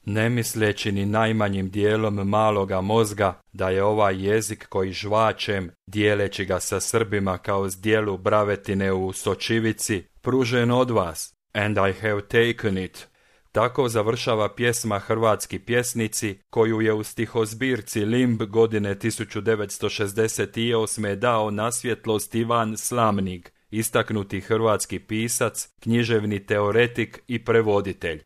ne misleći ni najmanjim dijelom maloga mozga da je ovaj jezik koji žvačem, dijeleći ga sa Srbima kao zdjelu bravetine u sočivici, pružen od vas, and I have taken it. Tako završava pjesma Hrvatski pjesnici, koju je u stihozbirci Limb godine 1968. dao na svjetlost Ivan Slamnik, istaknuti hrvatski pisac, književni teoretik i prevoditelj.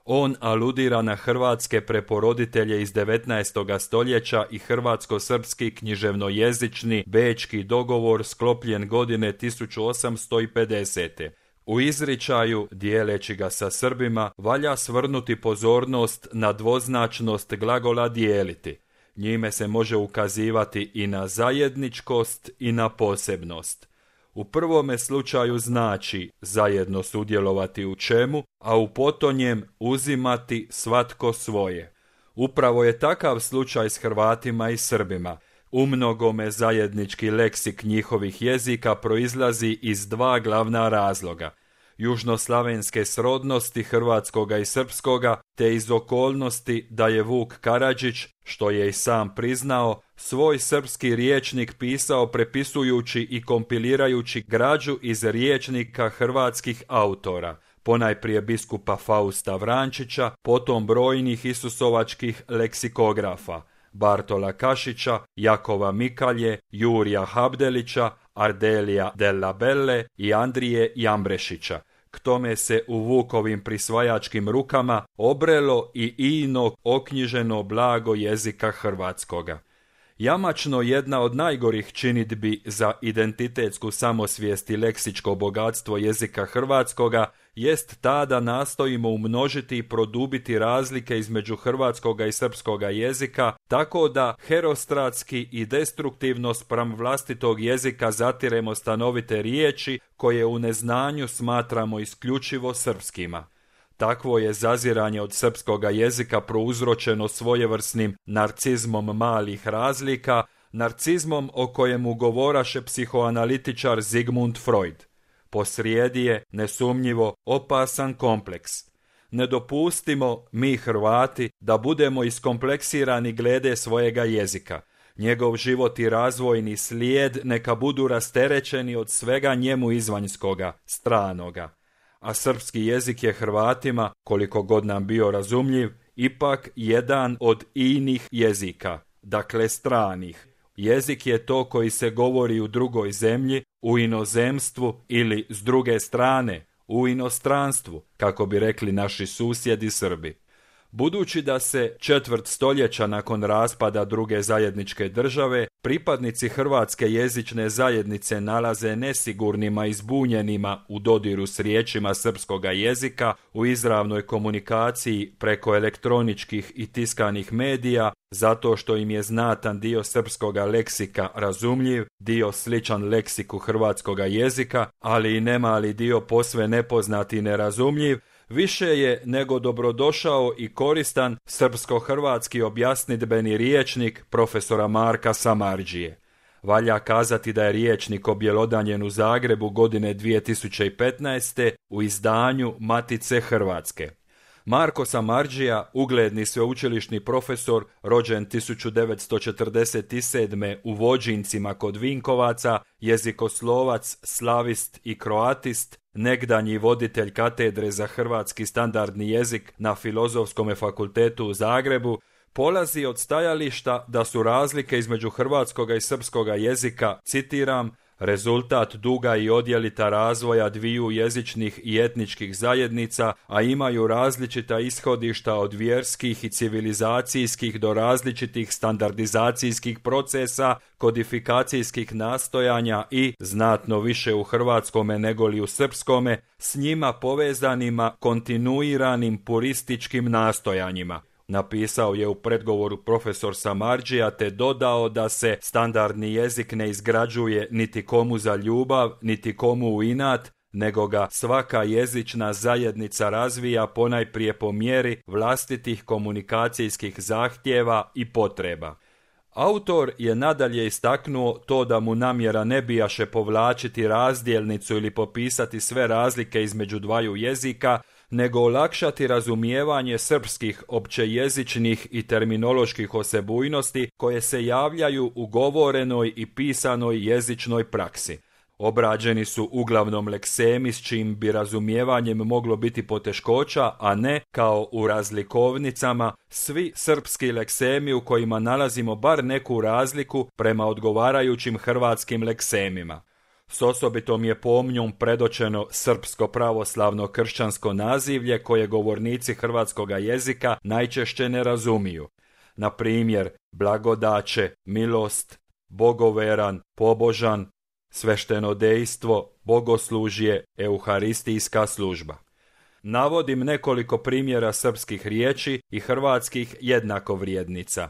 On aludira na hrvatske preporoditelje iz 19. stoljeća i hrvatsko-srpski književnojezični bečki dogovor sklopljen godine 1850. U izričaju, dijeleći ga sa Srbima, valja svrnuti pozornost na dvoznačnost glagola dijeliti. Njime se može ukazivati i na zajedničkost i na posebnost. U prvome slučaju znači zajedno sudjelovati u čemu, a u potonjem uzimati svatko svoje. Upravo je takav slučaj s Hrvatima i Srbima. Umnogome zajednički leksik njihovih jezika proizlazi iz dva glavna razloga. Južnoslavenske srodnosti hrvatskoga i srpskoga, te iz okolnosti da je Vuk Karadžić, što je i sam priznao, svoj srpski rječnik pisao prepisujući i kompilirajući građu iz rječnika hrvatskih autora, ponajprije biskupa Fausta Vrančića, potom brojnih isusovačkih leksikografa, Bartola Kašića, Jakova Mikalje, Jurija Habdelića, Ardelija Della Belle i Andrije Jambrešića. K tome se u Vukovim prisvajačkim rukama obrelo i ino oknjiženo blago jezika hrvatskoga. Jamačno jedna od najgorih činidbi za identitetsku samosvijest i leksičko bogatstvo jezika hrvatskoga jest ta da nastojimo umnožiti i produbiti razlike između hrvatskoga i srpskoga jezika, tako da herostratski i destruktivno spram vlastitog jezika zatiremo stanovite riječi koje u neznanju smatramo isključivo srpskima. Takvo je zaziranje od srpskoga jezika prouzročeno svojevrsnim narcizmom malih razlika, narcizmom o kojemu govoraše psihoanalitičar Sigmund Freud. Posrijedi je, nesumnjivo, opasan kompleks. Ne dopustimo, mi Hrvati, da budemo iskompleksirani glede svojega jezika. Njegov život i razvojni slijed neka budu rasterećeni od svega njemu izvanjskoga, stranoga. A srpski jezik je Hrvatima, koliko god nam bio razumljiv, ipak jedan od inih jezika, dakle stranih. Jezik je to koji se govori u drugoj zemlji, u inozemstvu ili s druge strane, u inostranstvu, kako bi rekli naši susjedi Srbi. Budući da se četvrt stoljeća nakon raspada druge zajedničke države, pripadnici hrvatske jezične zajednice nalaze nesigurnima i zbunjenima u dodiru s riječima srpskoga jezika, u izravnoj komunikaciji preko elektroničkih i tiskanih medija, zato što im je znatan dio srpskoga leksika razumljiv, dio sličan leksiku hrvatskoga jezika, ali i nemali dio posve nepoznat i nerazumljiv, više je nego dobrodošao i koristan srpsko-hrvatski objasnidbeni riječnik profesora Marka Samardžije. Valja kazati da je riječnik objelodanjen u Zagrebu godine 2015. u izdanju Matice Hrvatske. Marko Samardžija, ugledni sveučilišni profesor, rođen 1947. u Vođincima kod Vinkovaca, jezikoslovac, slavist i kroatist, negdanji voditelj katedre za hrvatski standardni jezik na Filozofskom fakultetu u Zagrebu, polazi od stajališta da su razlike između hrvatskoga i srpskoga jezika, citiram, rezultat duga i odjelita razvoja dviju jezičnih i etničkih zajednica, a imaju različita ishodišta od vjerskih i civilizacijskih do različitih standardizacijskih procesa, kodifikacijskih nastojanja i, znatno više u hrvatskome negoli u srpskome, s njima povezanima kontinuiranim purističkim nastojanjima. Napisao je u predgovoru profesor Samardžija te dodao da se standardni jezik ne izgrađuje niti komu za ljubav, niti komu u inat, nego ga svaka jezična zajednica razvija ponajprije po mjeri vlastitih komunikacijskih zahtjeva i potreba. Autor je nadalje istaknuo to da mu namjera ne bijaše povlačiti razdjelnicu ili popisati sve razlike između dvaju jezika, nego olakšati razumijevanje srpskih općejezičnih i terminoloških osebujnosti koje se javljaju u govorenoj i pisanoj jezičnoj praksi. Obrađeni su uglavnom leksemi s čim bi razumijevanjem moglo biti poteškoća, a ne, kao u razlikovnicama, svi srpski leksemi u kojima nalazimo bar neku razliku prema odgovarajućim hrvatskim leksemima. S osobitom je pomnjom predočeno srpsko pravoslavno kršćansko nazivlje koje govornici hrvatskoga jezika najčešće ne razumiju. Na primjer, blagodaće, milost, bogoveran, pobožan, sveštenodejstvo, bogoslužje, euharistijska služba. Navodim nekoliko primjera srpskih riječi i hrvatskih jednakovrijednica.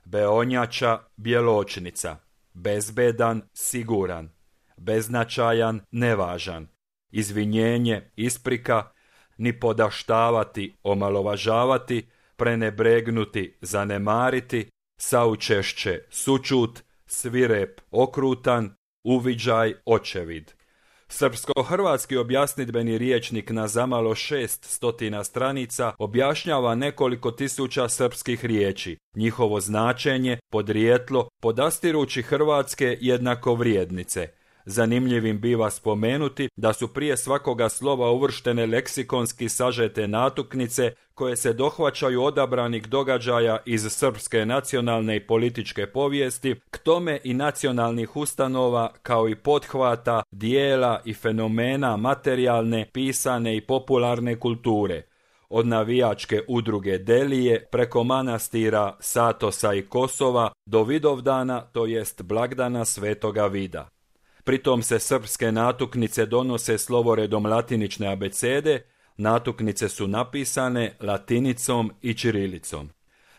Beonjača, bjeločnica, bezbedan, siguran, beznačajan, nevažan, izvinjenje, isprika, ni podaštavati, omalovažavati, prenebregnuti, zanemariti, saučešće, sućut, svirep, okrutan, uviđaj, očevid. Srpsko-hrvatski objasnidbeni rječnik na zamalo 600 stranica objašnjava nekoliko tisuća srpskih riječi, njihovo značenje, podrijetlo, podastirući hrvatske jednakovrijednice. Zanimljivim biva spomenuti da su prije svakoga slova uvrštene leksikonski sažete natuknice koje se dohvaćaju odabranih događaja iz srpske nacionalne i političke povijesti, k tome i nacionalnih ustanova kao i pothvata, dijela i fenomena materijalne, pisane i popularne kulture. Od navijačke udruge Delije preko manastira Satosa i Kosova do Vidovdana, to jest blagdana Svetoga Vida. Pritom se srpske natuknice donose slovoredom latinične abecede, natuknice su napisane latinicom i ćirilicom.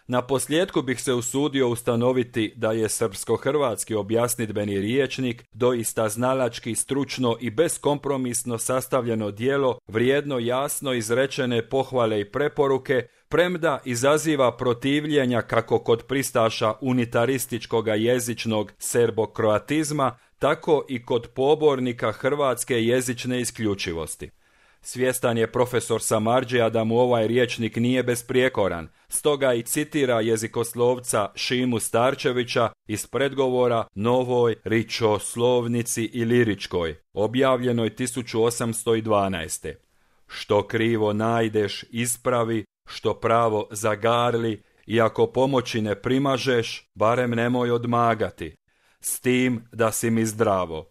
Na posljedku bih se usudio ustanoviti da je srpsko-hrvatski objasnidbeni rječnik doista znalački, stručno i beskompromisno sastavljeno djelo, vrijedno jasno izrečene pohvale i preporuke, premda izaziva protivljenja kako kod pristaša unitarističkoga jezičnog serbokroatizma, tako i kod pobornika hrvatske jezične isključivosti. Svjestan je profesor Samardžija da mu ovaj rječnik nije besprijekoran, stoga i citira jezikoslovca Šimu Starčevića iz predgovora Novoj ričoslovnici iliričkoj, objavljenoj 1812. Što krivo najdeš, ispravi, što pravo zagarli, i ako pomoći ne primažeš, barem nemoj odmagati, s tim da si mi zdravo.